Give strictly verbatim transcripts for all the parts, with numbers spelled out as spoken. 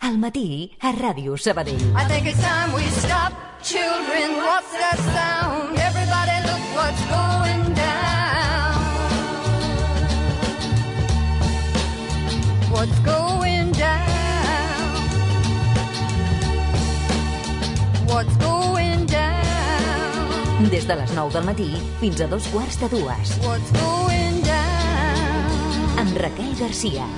Al matí, a Ràdio Sabadell. I think it's time we stop. Children, what's that sound? Everybody look what's going down. What's going down? What's going down? Des de les nou del matí fins a dos quarts de dues. What's going down? Amb Raquel Garcia.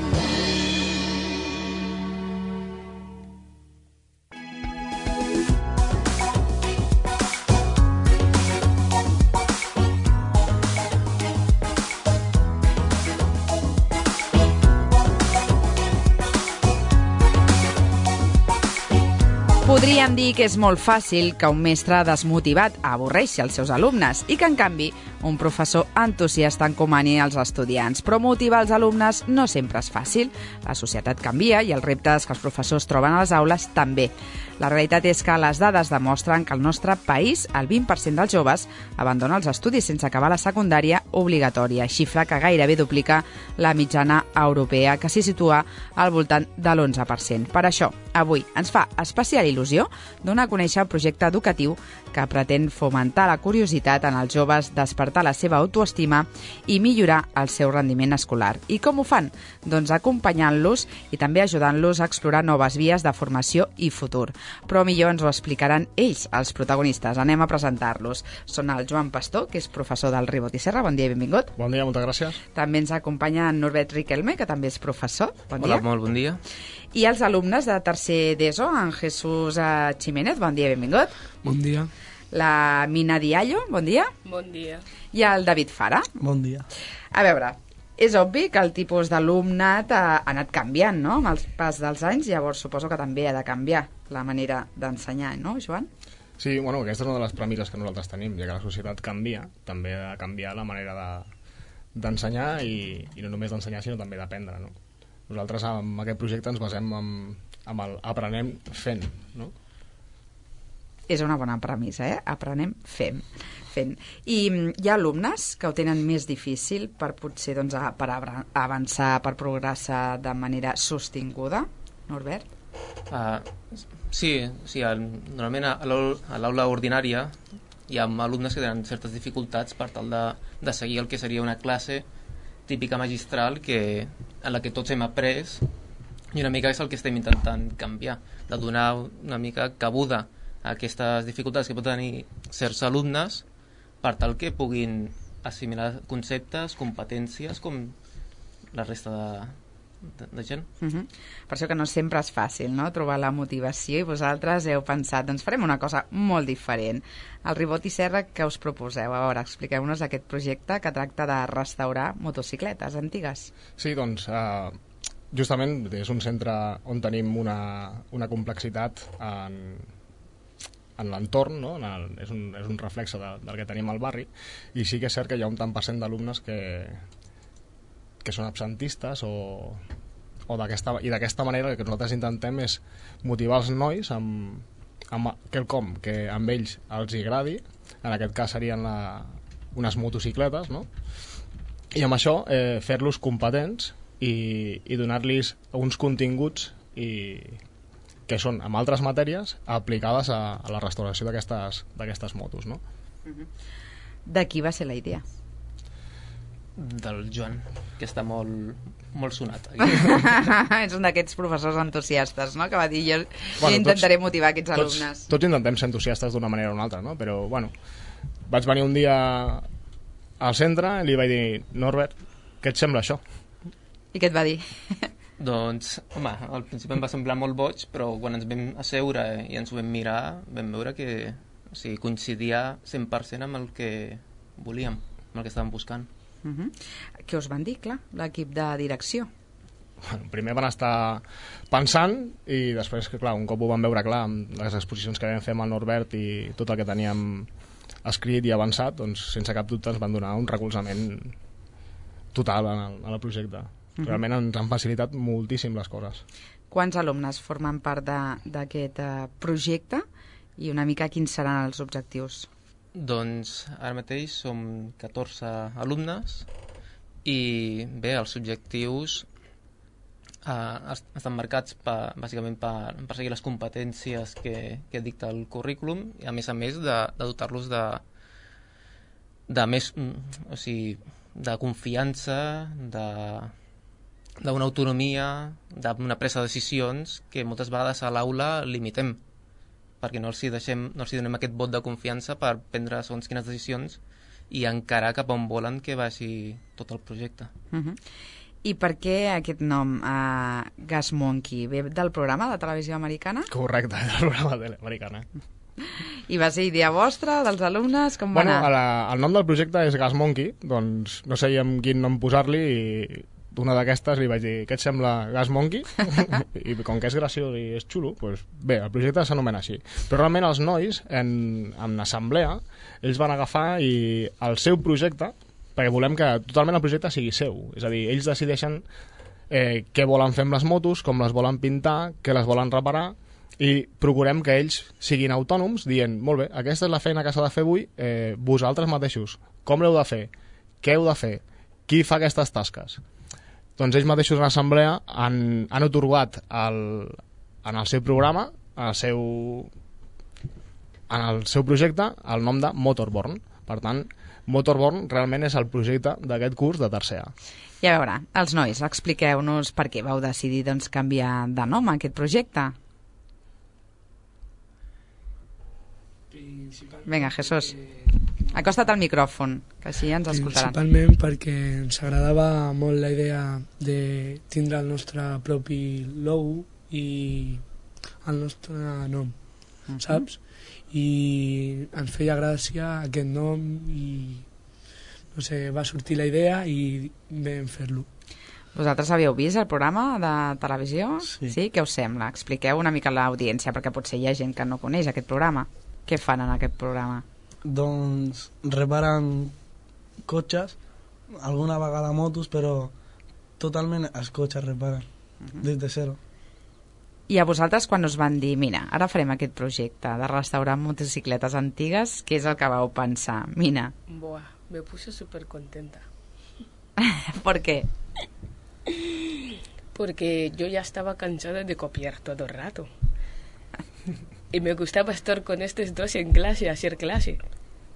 Podríem dir que és molt fàcil que un mestre desmotivat avorreixi els seus alumnes i que, en canvi, un professor entusiasta encomani als estudiants. Però motivar els alumnes no sempre és fàcil. La societat canvia i els reptes que els professors troben a les aules també. La realitat és que les dades demostren que al nostre país el vint per cent dels joves abandona els estudis sense acabar la secundària obligatòria, xifra que gairebé duplica la mitjana europea, que s'hi situa al voltant de l'onze per cent. Per això, avui ens fa especial il·lusió donar a conèixer el projecte educatiu que pretén fomentar la curiositat en els joves, despertar la seva autoestima i millorar el seu rendiment escolar. I com ho fan? Doncs acompanyant-los i també ajudant-los a explorar noves vies de formació i futur. Però millor ens ho explicaran ells, els protagonistes. Anem a presentar-los. Són el Joan Pastor, que és professor del Ribot i Serra. Bon dia i benvingut. Bon dia, moltes gràcies. També ens acompanya en Norbert Riquelme, que també és professor. Bon dia. Hola, molt bon dia. I els alumnes de tercer d'ESO, en Jesús Jiménez. Bon dia i benvingut. Bon dia. La Mina Diallo. Bon dia. Bon dia. I el David Fara. Bon dia. A veure, és obvi que el tipus d'alumnat ha, ha anat canviant, no?, amb el pas dels anys, llavors suposo que també ha de canviar la manera d'ensenyar, no, Joan? Sí, bueno, aquesta és una de les premisses que nosaltres tenim, ja que la societat canvia, també ha de canviar la manera de, d'ensenyar i, i no només d'ensenyar, sinó també d'aprendre, no? Nosaltres amb aquest projecte ens basem en, en el aprenem fent, no? És una bona premissa, eh? Aprenem fent. fent. I hi ha alumnes que ho tenen més difícil per potser doncs, per avançar, per progressar de manera sostinguda, Norbert? Uh, sí, sí el, normalment a l'aula ordinària hi ha alumnes que tenen certes dificultats per tal de, de seguir el que seria una classe típica magistral que, en la que tots hem après, i una mica és el que estem intentant canviar, de donar una mica cabuda a aquestes dificultats que pot tenir certs alumnes per tal que puguin assimilar conceptes, competències com la resta de, de, de gent. Uh-huh. Per això que no sempre és fàcil, no?, trobar la motivació, i vosaltres heu pensat, doncs farem una cosa molt diferent. El Ribot i Serra, què us proposeu? A veure, expliqueu-nos aquest projecte que tracta de restaurar motocicletes antigues. Sí, doncs, eh, justament és un centre on tenim una, una complexitat en... en l'entorn, no? En el, és, un, és un reflexe de, del que tenim al barri, i sí que és cert que hi ha un tant per cent d'alumnes que, que són absentistes o, o d'aquesta, i d'aquesta manera el que nosaltres intentem és motivar els nois amb, amb quelcom que amb ells els agradi, en aquest cas serien la, unes motocicletes, no? I amb això eh, fer-los competents i, i donar-los uns continguts i que són, amb altres matèries, aplicades a, a la restauració d'aquestes d'aquestes motos, no? Uh-huh. De qui va ser la idea? Del Joan, que està molt, molt sonat. És un d'aquests professors entusiastes, no?, que va dir jo, bueno, jo intentaré tots, motivar aquests tots, alumnes. Tots intentem ser entusiastes d'una manera o una altra, no? Però, bueno, vaig venir un dia al centre i li vaig dir, Norbert, què et sembla això? I què et va dir? Doncs, home, al principi em va semblar molt boig, però quan ens vam asseure i ens ho vam mirar, vam veure que o sigui, coincidia cent per cent amb el que volíem, amb el que estàvem buscant. Uh-huh. Què us van dir, clar, l'equip de direcció? Bueno, primer van estar pensant i després, que clar, un cop ho van veure clar amb les exposicions que vam fer amb el Norbert i tot el que teníem escrit i avançat, doncs sense cap dubte ens van donar un recolzament total en el, en el projecte. Realment ens han facilitat moltíssim les coses. Quants alumnes formen part d'aquest uh, projecte i una mica quins seran els objectius? Doncs ara mateix som catorze alumnes i bé, els objectius uh, estan marcats per, bàsicament per, per seguir les competències que, que dicta el currículum i a més a més de, de dotar-los de, de més, o sigui, de confiança, de d'una autonomia, d'una presa de decisions que moltes vegades a l'aula limitem, perquè no els hi deixem, no els hi donem aquest vot de confiança per prendre segons quines decisions i encarar cap on volen que vagi tot el projecte. Uh-huh. I per què aquest nom, uh, Gas Monkey, ve del programa de televisió americana? Correcte, del programa de televisió americana. I va ser idea vostra, dels alumnes? Com va bueno, anar? La, el nom del projecte és Gas Monkey, doncs no sabíem quin nom posar-li i una d'aquestes li vaig dir, què et sembla Gas Monkey? I com que és graciós i és xulo, doncs bé, el projecte s'anomena així. Però realment els nois, en, en assemblea, ells van agafar i el seu projecte, perquè volem que totalment el projecte sigui seu, és a dir, ells decideixen eh, què volen fer amb les motos, com les volen pintar, què les volen reparar, i procurem que ells siguin autònoms dient, molt bé, aquesta és la feina que s'ha de fer avui, eh, vosaltres mateixos, com l'heu de fer, què heu de fer, qui fa aquestes tasques. Doncs ells mateixos en assemblea han, han otorgat el, en el seu programa, en el seu, en el seu projecte, el nom de Motorborn. Per tant, Motorborn realment és el projecte d'aquest curs de tercer A. I a veure, els nois, expliqueu-nos per què vau decidir doncs, canviar de nom a aquest projecte. Vinga, Jesús, acosta't al micròfon, que així ens escoltaran. Principalment perquè ens agradava molt la idea de tindre el nostre propi logo i el nostre nom, uh-huh. saps? I ens feia gràcia aquest nom i no sé, va sortir la idea i vam fer-lo. Vosaltres havíeu vist el programa de televisió? Sí. Sí? Què us sembla? Expliqueu una mica a l'audiència, perquè potser hi ha gent que no coneix aquest programa. Què fan en aquest programa? Doncs reparen cotxes, alguna vegada motos, però totalment els cotxes reparen, uh-huh. des de zero. I a vosaltres quan us van dir, mira, ara farem aquest projecte de restaurar motocicletes antigues, què és el que vau pensar? Mina. Buah, me puse súper contenta. ¿Por qué? Porque yo ya estaba cansada de copiar todo el rato. Y me gustaba estar con estos dos en clase, hacer clase.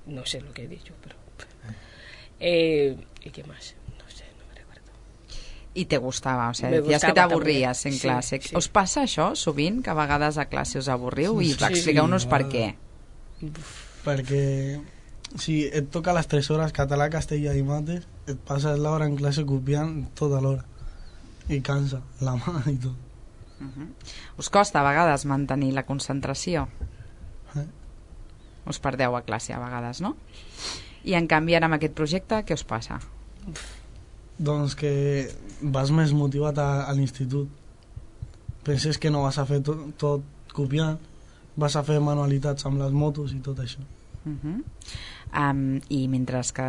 No sé lo que he dicho, pero... Eh, ¿Y qué más? No sé, no me recuerdo. I te gustava, o sigui, me decías que t'avorries en sí, classe. Sí. Us passa això sovint, que a vegades a classe us avorriu? I Sí, expliqueu-nos sí, per vale. què. Perquè si et toca les tres hores català, castellà i mates, et passes l'hora en classe copiant tota l'hora. I cansa la mà i tot. Uh-huh. Us costa a vegades mantenir la concentració? Eh? Us perdeu a classe a vegades, no? I en canvi ara amb aquest projecte què us passa? Doncs que vas més motivat a, a l'institut. Penses que no vas a fer tot, tot copiant, vas a fer manualitats amb les motos i tot això. Uh-huh. um, I mentre que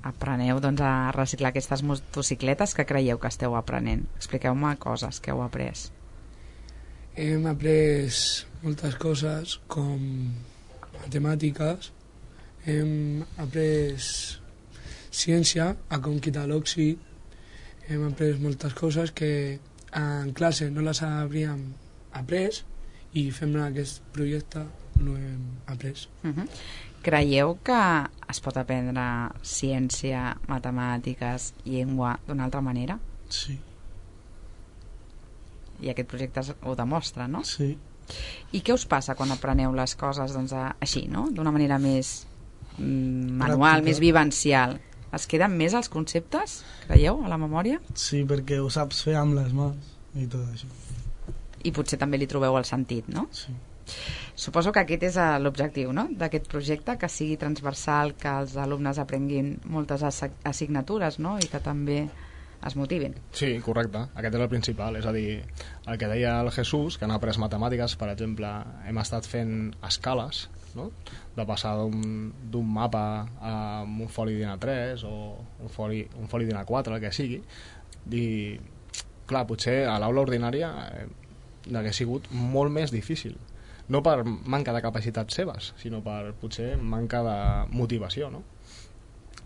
apreneu doncs, a reciclar aquestes motocicletes, què creieu que esteu aprenent? Expliqueu-me coses que heu après. Hem après moltes coses com matemàtiques, hem après ciència, a com quitar l'òxid, hem après moltes coses que en classe no les hauríem après i fem aquest projecte no hem après. Uh-huh. Creieu que es pot aprendre ciència, matemàtiques, llengua d'una altra manera? Sí. I aquest projecte ho demostra, no? Sí. I què us passa quan apreneu les coses doncs, a, així, no? D'una manera més mm, manual, Pràctica. més vivencial? Es queden més els conceptes, creieu, a la memòria? Sí, perquè ho saps fer amb les mans i tot això. I potser també li trobeu el sentit, no? Sí. Suposo que aquest és eh, l'objectiu, no?, d'aquest projecte, que sigui transversal, que els alumnes aprenguin moltes assi- assignatures, no?, i que també es motivin. Sí, correcte. Aquest és el principal. És a dir, el que deia el Jesús, que han après matemàtiques, per exemple, hem estat fent escales, no?, de passar d'un d'un mapa a un foli d'I N A tres o un foli, un foli d'I N A quatre, el que sigui. I, clar, potser a l'aula ordinària eh, hauria sigut molt més difícil. No per manca de capacitats seves, sinó per potser manca de motivació, no?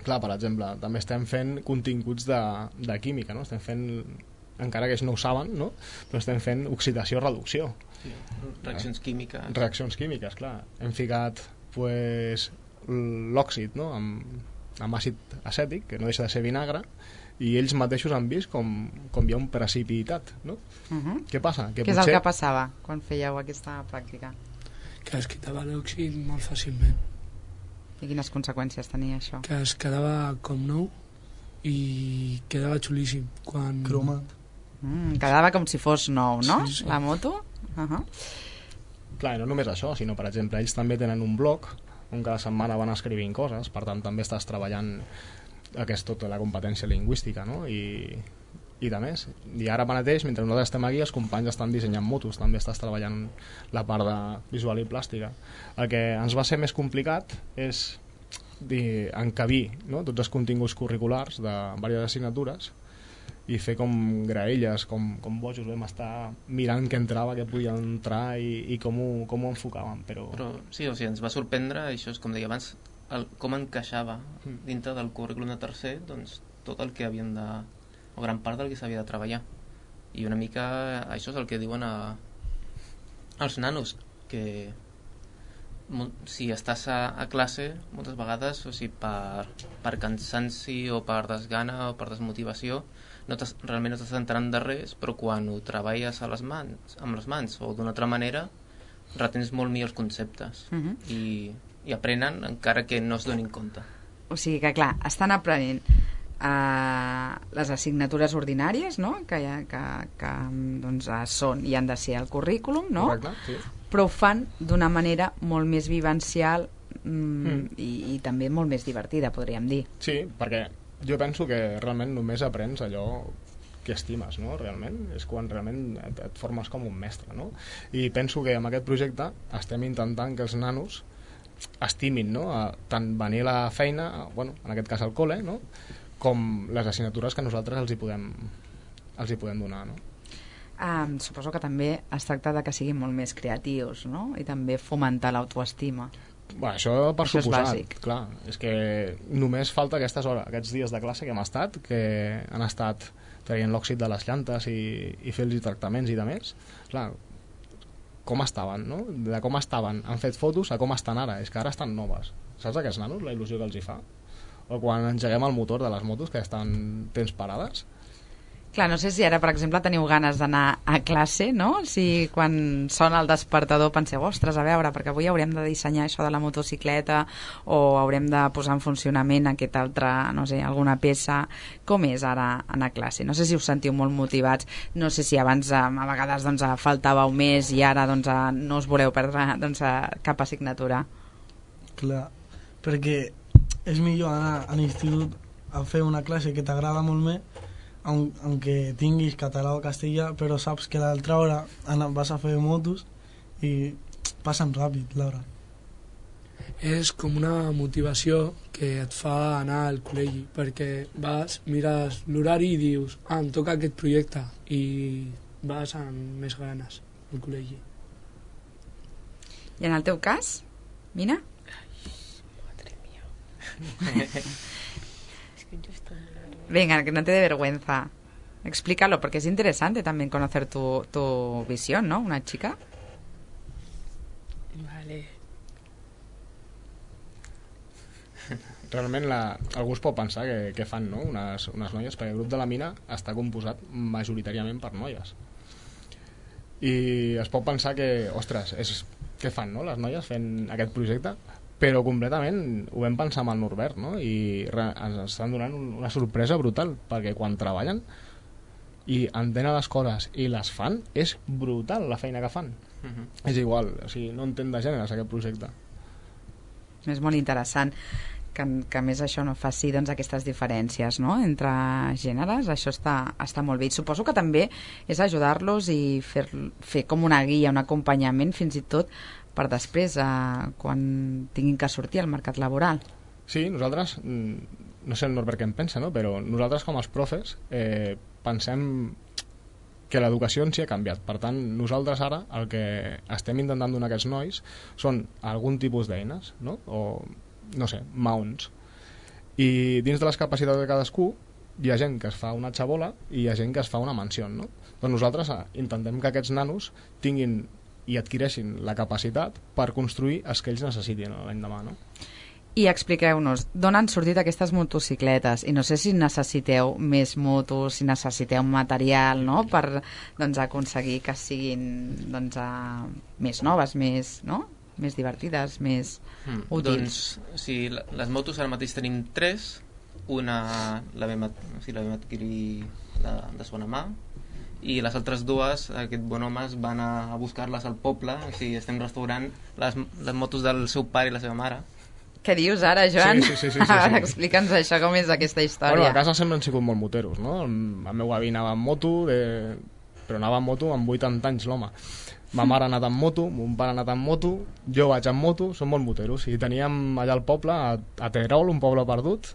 Clar, per exemple, també estem fent continguts de, de química, no? Estem fent encara que ells no ho saben, no? Però estem fent oxidació-reducció. Sí, reaccions químiques. Reaccions químiques, clar. Hem ficat pues, l'òxid, no? amb, amb àcid acètic, que no deixa de ser vinagre, i ells mateixos han vist com, com hi ha un precipitat, no? Uh -huh. Què passa? Que Què és potser... el que passava quan fèieu aquesta pràctica? Que es quitava l'òxid molt fàcilment. I quines conseqüències tenia això? Que es quedava com nou i quedava xulíssim. Quan... Cromat. Mm, quedava com si fos nou, no? Sí, sí. La moto? Uh -huh. Clar, no només això, sinó, per exemple, ells també tenen un blog on cada setmana van escrivint coses, per tant també estàs treballant aquesta tota la competència lingüística, no? I, i de més. I ara mateix, mentre nosaltres estem aquí, els companys estan dissenyant motos, també estàs treballant la part de visual i plàstica. El que ens va ser més complicat és dir, encabir, no? tots els continguts curriculars de diverses assignatures i fer com graelles, com, com bojos vam estar mirant què entrava, què podia entrar i, i com, ho, com ho enfocàvem. Però... Però sí, o sigui, ens va sorprendre, això és com deia abans, el, com encaixava dintre del currículum de tercer doncs, tot el que havien de... o gran part del que s'havia de treballar. I una mica això és el que diuen a, als nanos, que si estàs a, a classe moltes vegades, o sigui, per, per cansanci o per desgana o per desmotivació, no realment no t'estàs entrant de res, però quan ho treballes a les mans, amb les mans o d'una altra manera, retens molt millor els conceptes uh -huh. i, i aprenen encara que no es donin compte. O sigui que, clar, estan aprenent uh, les assignatures ordinàries, no? que, que, que doncs, són i han de ser al currículum, no? Correcte, sí. Però ho fan d'una manera molt més vivencial mm, mm. I, i també molt més divertida, podríem dir. Sí, perquè jo penso que realment només aprens allò que estimes, no? Realment és quan realment et, et formes com un mestre, no? I penso que amb aquest projecte estem intentant que els nanos estimin, no? A, tant venir a la feina, bueno, en aquest cas al col·le, no? Com les assignatures que nosaltres els hi podem, els hi podem donar, no? Um, suposo que també es tracta de que siguin molt més creatius, no? I també fomentar l'autoestima. Bueno, això per això suposat, és bàsic. clar, és que només falta aquestes hores, aquests dies de classe que hem estat, que han estat traient l'òxid de les llantes i, i fer-los tractaments i de més, clar, com estaven, no? De com estaven, han fet fotos a com estan ara, és que ara estan noves, saps aquests nanos, la il·lusió que els hi fa? O quan engeguem el motor de les motos que estan temps parades. Clar, no sé si ara, per exemple, teniu ganes d'anar a classe, no? Si quan sona el despertador penseu, ostres, a veure, perquè avui haurem de dissenyar això de la motocicleta o haurem de posar en funcionament aquest altre, no sé, alguna peça. Com és ara anar a classe? No sé si us sentiu molt motivats, no sé si abans a vegades doncs, faltàveu més i ara doncs, no us voleu perdre doncs, cap assignatura. Clar, perquè és millor anar a l'institut a fer una classe que t'agrada molt més, aunque tinguis català o castellà, però saps que l'altra hora vas a fer motos i passen ràpid l'hora. És com una motivació que et fa anar al col·legi, perquè vas, mires l'horari i dius, ah, em toca aquest projecte, i vas amb més ganes al col·legi. I en el teu cas, Mina? Ai, madre mía. Es que yo estoy... Venga, que no te dé vergüenza. Explícalo, porque es interesante también conocer tu, tu visión, ¿no? Una chica. Vale. Realment la, algú es pot pensar que, que fan, no? unes, unes noies, perquè el grup de la Mina està composat majoritàriament per noies. I es pot pensar que, ostres, és, què fan, no? Les noies fent aquest projecte? Però completament ho vam pensar amb el Norbert, no? I re, ens estan donant una sorpresa brutal, perquè quan treballen i entenen les coses i les fan, és brutal la feina que fan. Uh-huh. És igual, o sigui, no entén de gèneres aquest projecte. És molt interessant que, que a més això no faci doncs, aquestes diferències, no? Entre gèneres, això està, està molt bé. I suposo que també és ajudar-los i fer, fer com una guia, un acompanyament fins i tot per després, eh, quan tinguin que sortir al mercat laboral. Sí, nosaltres, no sé el Norbert què en pensa, no? Però nosaltres com els profes eh, pensem que l'educació en si ha canviat. Per tant, nosaltres ara el que estem intentant donar a aquests nois són algun tipus d'eines, no? O, no sé, maons. I dins de les capacitats de cadascú hi ha gent que es fa una xabola i hi ha gent que es fa una mansió, no? Doncs nosaltres eh, intentem que aquests nanos tinguin i adquireixin la capacitat per construir els que ells necessitin l'endemà, no? I expliqueu-nos, d'on han sortit aquestes motocicletes? I no sé si necessiteu més motos, si necessiteu material, no?, per doncs, aconseguir que siguin doncs, a... més noves, més, no?, més divertides, més mm, útils. Doncs, sí, les motos ara mateix tenim tres. Una la vam, o sigui, la vam adquirir la, de segona mà, i les altres dues, aquest bon home es van a, a buscar-les al poble. O sigui, estem restaurant les, les motos del seu pare i la seva mare. Què dius ara, Joan? Sí, sí, sí, sí, sí, sí. Explica'ns això, com és aquesta història. Bueno, a casa sempre han sigut molt moteros, no? El meu avi anava amb moto, de... però anava amb moto amb vuitanta anys, l'home. Ma mare ha anat amb moto, mon pare ha anat amb moto, jo vaig amb moto, som molt moteros. I teníem allà al poble, a, a Terol, un poble perdut,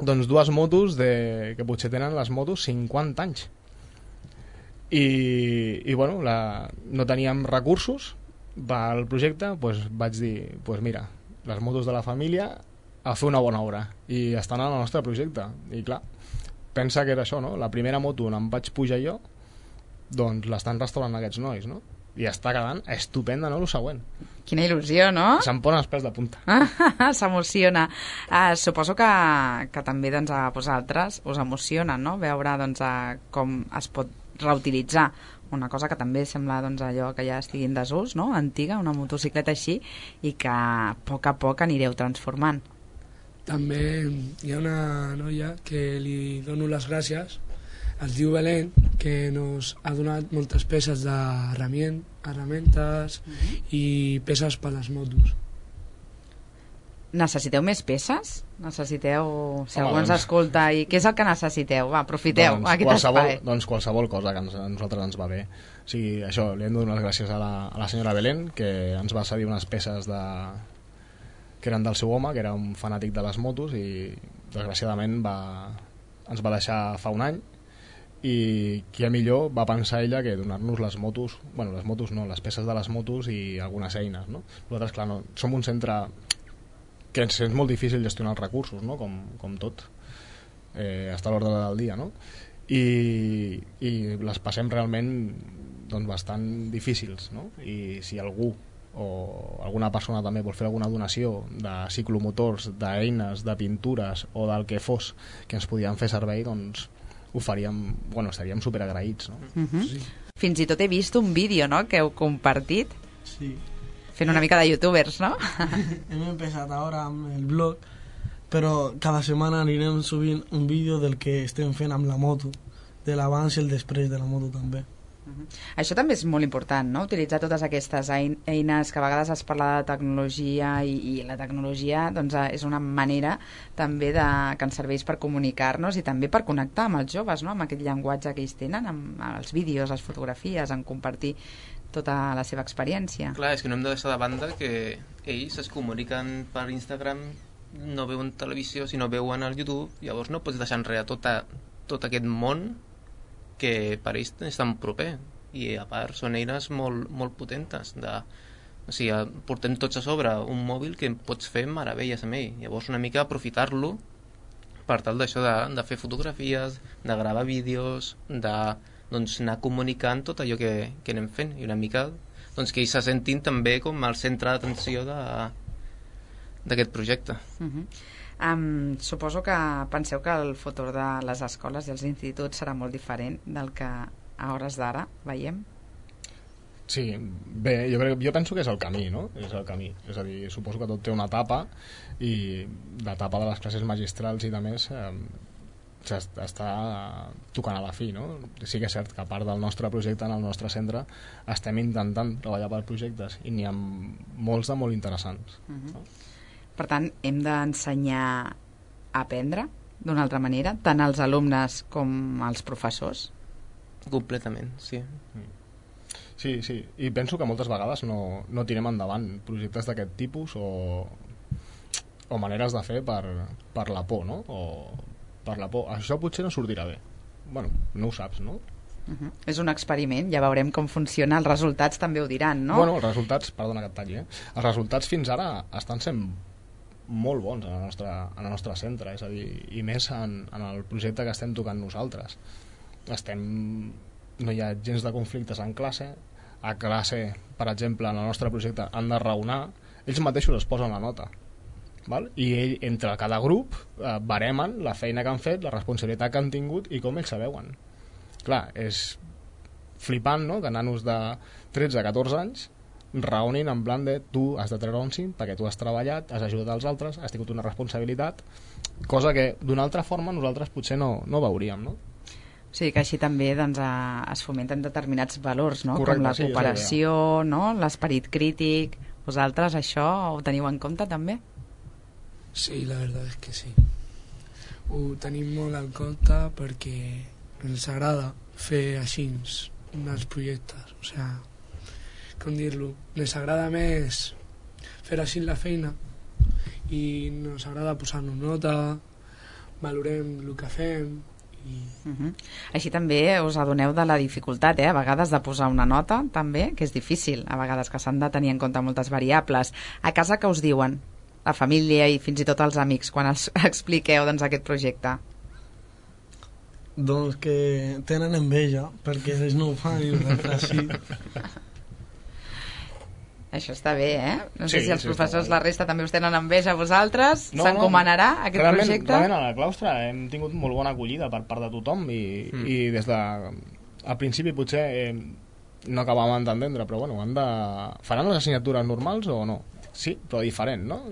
doncs dues motos de... que potser tenen les motos cinquanta anys. I, i bueno, la... no teníem recursos pel projecte, doncs vaig dir, doncs mira, les motos de la família a fer una bona obra, i estan en el nostre projecte. I clar, pensa que era això, no? La primera moto on em vaig pujar jo, doncs l'estan restaurant aquests nois, no? I està quedant estupenda, no?, el següent. Quina il·lusió, no? Se'm posen els pèls de punta. S'emociona. Uh, suposo que, que també doncs, a vosaltres us emociona, no?, veure doncs, a com es pot reutilitzar una cosa que també sembla doncs, allò que ja estigui en desús, no?, antiga, una motocicleta així, i que a poc a poc anireu transformant. També hi ha una noia que li dono les gràcies, es diu Belén, que nos ha donat moltes peces d'herramientes mm-hmm. i peces per les motos. Necessiteu més peces? Necessiteu... Si Home, algú ens doncs... escolta, i què és el que necessiteu? Va, aprofiteu doncs, aquest qualsevol, espai. doncs qualsevol cosa que ens, a nosaltres ens va bé. O sigui, això, li hem de donar les gràcies a la, a la senyora Belén, que ens va cedir unes peces de... que eren del seu home, que era un fanàtic de les motos, i desgraciadament va... ens va deixar fa un any, i qui millor va pensar ella que donar-nos les motos, bueno, les motos no, les peces de les motos i algunes eines, no? Nosaltres, clar, no, som un centre que ens és molt difícil gestionar els recursos, no?, com, com tot, eh, està a l'ordre del dia, no? I, i les passem realment doncs, bastant difícils, no? I si algú o alguna persona també vol fer alguna donació de ciclomotors, d'eines, de pintures o del que fos que ens podien fer servei, doncs ho faríem, bueno, estaríem superagraïts, no? Uh-huh. Sí. Fins i tot he vist un vídeo, no?, que heu compartit Sí. fent una mica de youtubers, no? Hem empezat ara amb el blog, però cada setmana anirem subint un vídeo del que estem fent amb la moto, de l'abans i el després de la moto també. Uh-huh. Això també és molt important, no?, utilitzar totes aquestes eines, que a vegades es parla de tecnologia i, i la tecnologia doncs, és una manera també de, que ens serveix per comunicar-nos i també per connectar amb els joves, no?, amb aquest llenguatge que ells tenen, amb els vídeos, les fotografies, en compartir tota la seva experiència. Clar, és que no hem de deixar de banda que ells es comuniquen per Instagram, no veuen televisió, sinó veuen al YouTube, llavors no pots deixar enrere tota, tot aquest món que per ells és tan proper, i a part són eines molt, molt potentes de, o sigui, portem tots a sobre un mòbil que pots fer meravelles amb ell, llavors una mica aprofitar-lo per tal d'això de, de fer fotografies, de gravar vídeos, de doncs, anar comunicant tot allò que, que anem fent, i una mica doncs, que ells se sentin també com el centre d'atenció d'aquest projecte. Uh-huh. Um, suposo que penseu que el futur de les escoles i els instituts serà molt diferent del que a hores d'ara veiem? Sí, bé, jo, crec, jo penso que és el camí, no? És el camí. És a dir, suposo que tot té una etapa, i l'etapa de les classes magistrals i de més eh, està tocant a la fi, no? Sí que és cert que a part del nostre projecte en el nostre centre estem intentant treballar per projectes, i n'hi ha molts de molt interessants. Uh-huh. No? Per tant, hem d'ensenyar a aprendre d'una altra manera, tant als alumnes com als professors? Completament, sí. Sí, sí, i penso que moltes vegades no, no tirem endavant projectes d'aquest tipus o, o maneres de fer per, per la por, no? O per la por. Això potser no sortirà bé. Bueno, no ho saps, no? Uh-huh. És un experiment, ja veurem com funciona, els resultats també ho diran, no? Bueno, els resultats, perdona que et talli, eh? Els resultats fins ara estan sent molt bons en el nostre, en el nostre centre, és a dir, i més en, en el projecte que estem tocant nosaltres. Estem, no hi ha gens de conflictes en classe. A classe, per exemple, en el nostre projecte han de raonar, ells mateixos es posen la nota, val? I ell, entre cada grup eh, baremen la feina que han fet, la responsabilitat que han tingut i com ells se veuen. Clar, és flipant, no?, que nanos de tretze a catorze anys raonin en plan de tu has de treure un cinc perquè tu has treballat, has ajudat als altres, has tingut una responsabilitat, cosa que d'una altra forma nosaltres potser no, no veuríem, no? O sigui que així també doncs, a, es fomenten determinats valors, no? Correcte, Com la sí, cooperació, no? L'esperit crític. Vosaltres això ho teniu en compte també? Sí, la veritat és que sí. Ho tenim molt en compte perquè ens agrada fer així els projectes, o sigui, com dir-lo, ens agrada més fer així la feina i ens agrada posar-nos nota, valorem el que fem i... Uh-huh. Així també us adoneu de la dificultat, eh? A vegades de posar una nota també, que és difícil, a vegades que s'han de tenir en compte moltes variables. A casa què us diuen? La família i fins i tot els amics quan els expliqueu doncs, aquest projecte? Doncs que tenen enveja perquè ells no ho fan i nosaltres sí. Això està bé, eh? No sé Sí, si els sí, professors, està la resta, també us tenen enveja a vosaltres. No, S'encomanarà no, aquest realment, projecte? Realment a la claustre hem tingut molt bona acollida per part de tothom i, mm. i des de... Al principi potser eh, no acabàvem d'entendre, però bueno, han de... faran les assignatures normals o no? Sí, però diferent, no?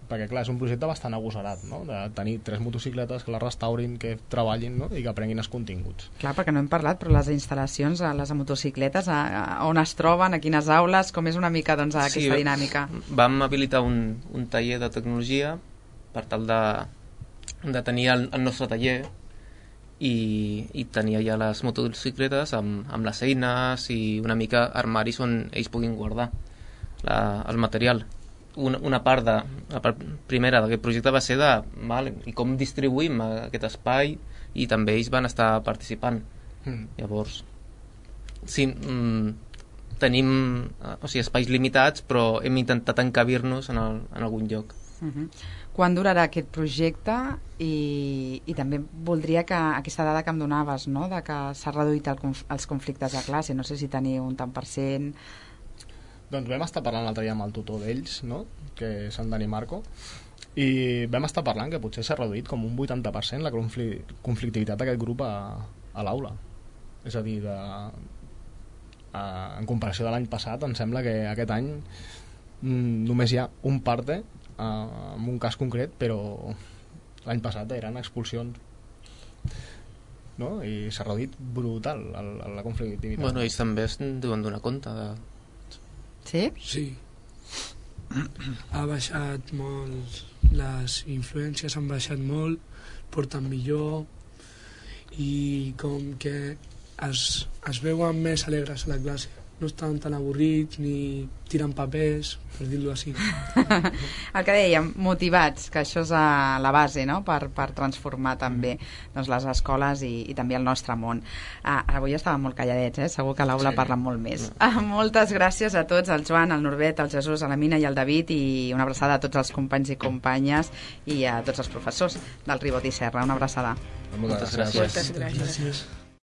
Perquè clar, és un projecte bastant agosarat, no? De tenir tres motocicletes que les restaurin, que treballin, no? I que aprenguin els continguts. Clar, perquè no hem parlat, però les instal·lacions, a les motocicletes, a, a on es troben, a quines aules, com és una mica doncs, aquesta sí, dinàmica? Vam habilitar un, un taller de tecnologia per tal de, de tenir el, el nostre taller i, i tenir ja les motocicletes amb, amb les eines i una mica armaris on ells puguin guardar la, el material. Una, una part de, la part primera d'aquest projecte va ser de val, i com distribuïm aquest espai, i també ells van estar participant. Mm. Llavors sí, mm, tenim o sigui, espais limitats, però hem intentat encabir-nos en, el, en algun lloc. Uh-huh. Quan durarà aquest projecte? I, i també voldria que aquesta dada que em donaves, no? De que s'ha reduït el, els conflictes a classe, no sé si teniu un tant per cent. Doncs vam estar parlant l'altre dia amb el tutor d'ells, no? Que és en Dani Marco, i vam estar parlant que potser s'ha reduït com un vuitanta per cent la conflictivitat d'aquest grup a, a l'aula. És a dir, de, a, en comparació de l'any passat, em sembla que aquest any mm, només hi ha un parte eh, en un cas concret, però l'any passat eren expulsions, no? I s'ha reduït brutal la, la conflictivitat. Bueno, ells també es deuen donar compte de... Sí? Sí. Ha baixat molt, les influències han baixat molt, porten millor i com que es, es veuen més alegres a la classe. No estan tan avorrits ni tiren papers, per dir-ho així. El que dèiem, motivats, que això és a la base, no? per, per transformar també doncs, les escoles i, i també el nostre món. Ah, avui estàvem molt calladets, eh? Segur que a l'aula sí. parlen molt més. Ah, moltes gràcies a tots, al Joan, al Norbert, al Jesús, a la Mina i al David, i una abraçada a tots els companys i companyes i a tots els professors del Ribot i Serra. Una abraçada. Moltes gràcies. Moltes gràcies. Gràcies.